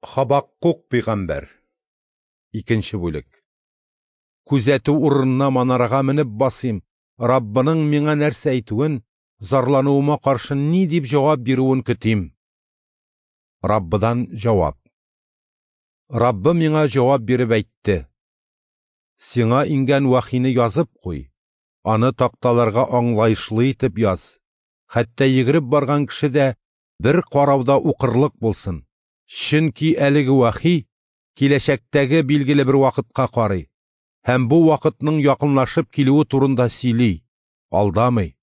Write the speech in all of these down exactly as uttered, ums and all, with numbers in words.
Хабаккук пәйгамбәр. Икенче бүлек. Күзәтү урынына манарага менеп басыйм, Раббының миңа нәрсә әйтүен, зарлануыма каршы ни дип җавап бирүен көтим. Раббыдан җавап. Раббы миңа җавап биреп әйтте: Сиңа иңгән вахины язып куй, аны такталарга аңлаешлы итеп яз. Хәтта йөгереп барган кеше дә бер карауда укырлык булсын. Чөнки әлеге вахи киләчәктәге билгеле бер вакытка карый һәм бу вакытның якынлашып килүе турында сөйли, алдамый.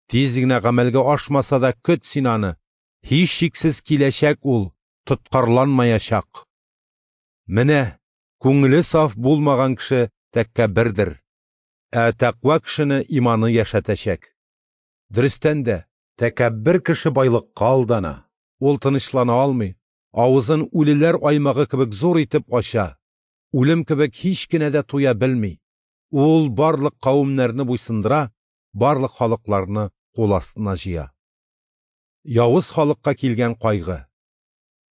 Тиз генә гамәлгә ашмаса да көт син аны, һичшиксез киләчәк ул, тоткарланмаячак. Менә күңеле саф булмаган кеше тәкәббердер, ә тәкъва кешене иманы яшәтәчәк. Дөрестән дә, тәкәббер кеше байлыкка алдана, ул тынычлана алмый, авызын үлеләр аймагы кебек зур итеп ача, үлем кебек һич кенә дә туя белми. Ул барлык кавемнәрне буйсындыра, барлык халыкларны кул астына җыя. Явыз халыкка килгән кайгы.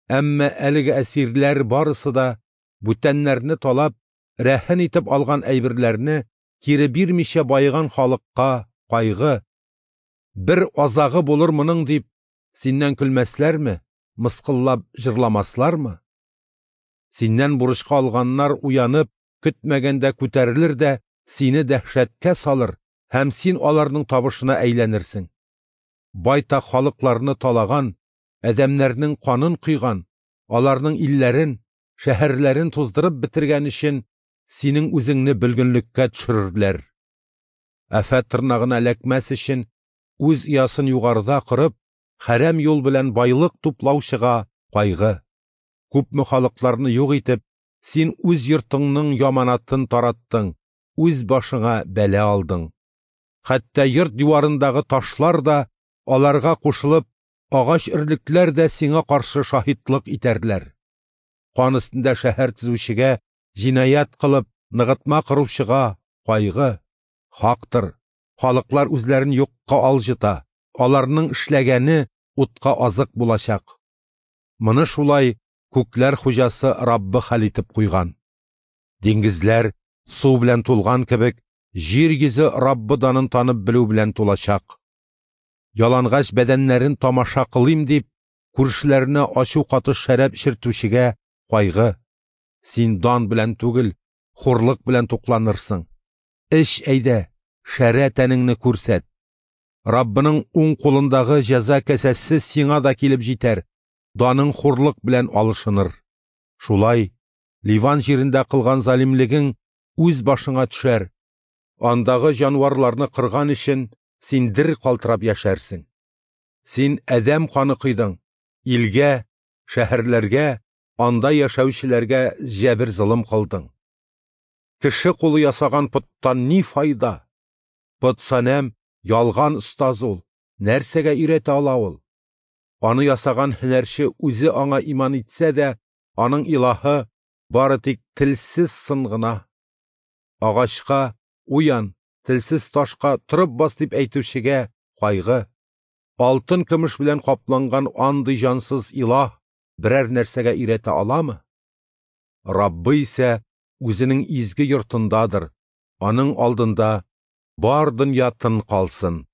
Әмма әлеге әсирләр барысы да бүтәннәрне талап, рәһен итеп алган әйберләрне кире бирмичә байыган халыкка кайгы. Бер азагы булыр моның дип, синнән көлмәсләрме, мыскыллап җырламаслармы? Синнән бурычка алганнар уянып, көтмәгәндә күтәрелер дә сине дәһшәткә салыр һәм син аларның табышына әйләнерсең. Байтак халыкларны талаган, адәмнәрнең канын койган, аларның илләрен, шәһәрләрен туздырып бетергән өчен синең үзеңне бөлгенлеккә төшерерләр. Афәт тырнагына эләкмәс өчен үз оясын югарыда корып, хәрәм юл белән байлык туплаучыга кайгы. Күпме халыкларны юк итеп, син үз йортыңның яманатын тараттың, үз башыңа бәла алдың. Хәтта йорт диварындагы ташлар да аларга кушылып, агач өрлекләр дә сиңа каршы шаһитлык итәрләр. Кан өстендә шәһәр төзүчегә, җинаять кылып, ныгытма коручыга кайгы. Хактыр, халыклар үзләрен юкка алҗыта, аларның эшләгәне утка азык булачак. Моны шулай күкләр хуҗасы Раббы хәл итеп куйган. Диңгезләр су белән тулган кебек, җир йөзе Раббы данын танып белү белән тулачак. Ялангач бәдәннәрен тамаша кылыйм дип, күршеләренә ачу катыш шәраб эчертүчегә кайгы. Син дан белән түгел, хурлык белән тукланырсың. Эч әйдә, шәрә тәнеңне күрсәт. Раббының уң кулындагы җәза кәсәсе сиңа да килеп җитәр, даның хурлык белән алышыныр. Шулай, Ливан җирендә кылган залимлегең үз башыңа төшәр. Андагы җанварларны кырган өчен син дер калтырап яшәрсең. Син адәм каны койдың, илгә, шәһәрләргә, анда яшәүчеләргә җәбер-золым кылдың. Кеше кулы ясаган поттан ни файда? Пот санәм ялган остаз ул, нәрсәгә өйрәтә ала ул? Аны ясаган һөнәрче үзе аңа иман итсә дә, аның илаһы бары тик телсез сын гына. Агачка уян, телсез ташка торып бас дип әйтүчегә кайгы. Алтын көмеш белән капланган андый җансыз илаһ берәр нәрсәгә өйрәтә аламы? Раббы исә үзенең изге йортындадыр, аның алдында бар дөнья тын калсын.